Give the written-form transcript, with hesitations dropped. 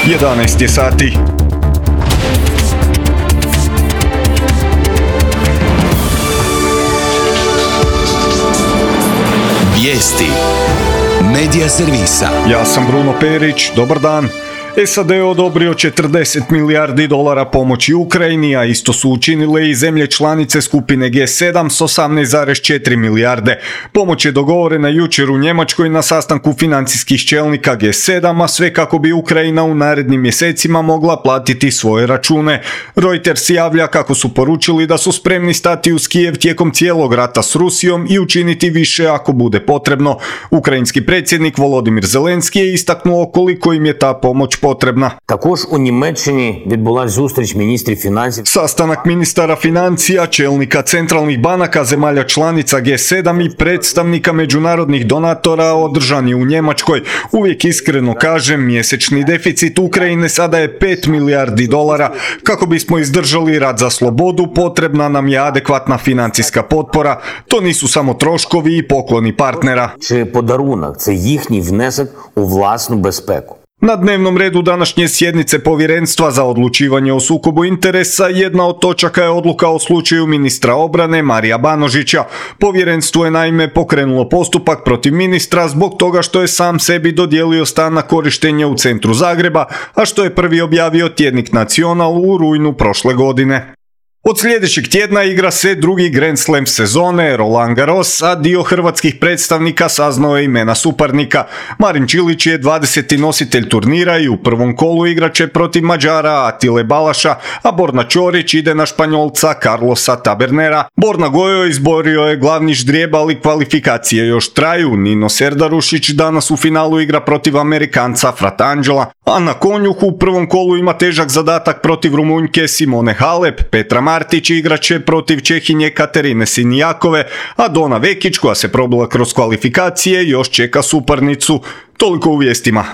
11 je sati. Vijesti Medija servisa. Ja sam Bruno Perić, dobar dan. SAD je odobrio 40 milijardi dolara pomoći Ukrajini, a isto su učinile i zemlje članice skupine G7 s 18,4 milijarde. Pomoć je dogovorena jučer u Njemačkoj na sastanku financijskih čelnika G7, a sve kako bi Ukrajina u narednim mjesecima mogla platiti svoje račune. Reuters javlja kako su poručili da su spremni stati uz Kijev tijekom cijelog rata s Rusijom i učiniti više ako bude potrebno. Ukrajinski predsjednik Volodymyr Zelenski je istaknuo koliko im je ta pomoć potrebna. Також у Німеччині відбулася зустріч міністрів фінансів. Sastanak ministara financija, čelnika centralnih banaka zemalja članica G7 i predstavnika međunarodnih donatora održan je u Njemačkoj. Uvijek iskreno kažem, mjesečni deficit Ukrajine sada je 5 milijardi dolara. Kako bismo izdržali rat za slobodu, potrebna nam je adekvatna financijska potpora. To nisu samo troškovi i pokloni partnera. Чи подарунок – це їхній внесок у власну безпеку. Na dnevnom redu današnje sjednice Povjerenstva za odlučivanje o sukobu interesa jedna od točaka je odluka o slučaju ministra obrane Marija Banožića. Povjerenstvo je naime pokrenulo postupak protiv ministra zbog toga što je sam sebi dodijelio stan na korištenje u centru Zagreba, a što je prvi objavio tjednik Nacional u rujnu prošle godine. Od sljedećeg tjedna igra se drugi Grand Slam sezone, Roland Garros, a dio hrvatskih predstavnika saznao je imena suparnika. Marin Čilić je 20. nositelj turnira i u prvom kolu igraće protiv Mađara Atile Balaša, a Borna Ćorić ide na Španjolca Carlosa Tabernera. Borna Gojo izborio je glavni ždrijeb, ali kvalifikacije još traju. Nino Serdarušić danas u finalu igra protiv Amerikanca Fratangela, a na konjuhu u prvom kolu ima težak zadatak protiv Rumunjke Simone Halep. Petra Martić igraće protiv Čehinje Katerine Sinijakove, a Dona Vekić, koja se probila kroz kvalifikacije, još čeka suparnicu. Toliko u vijestima.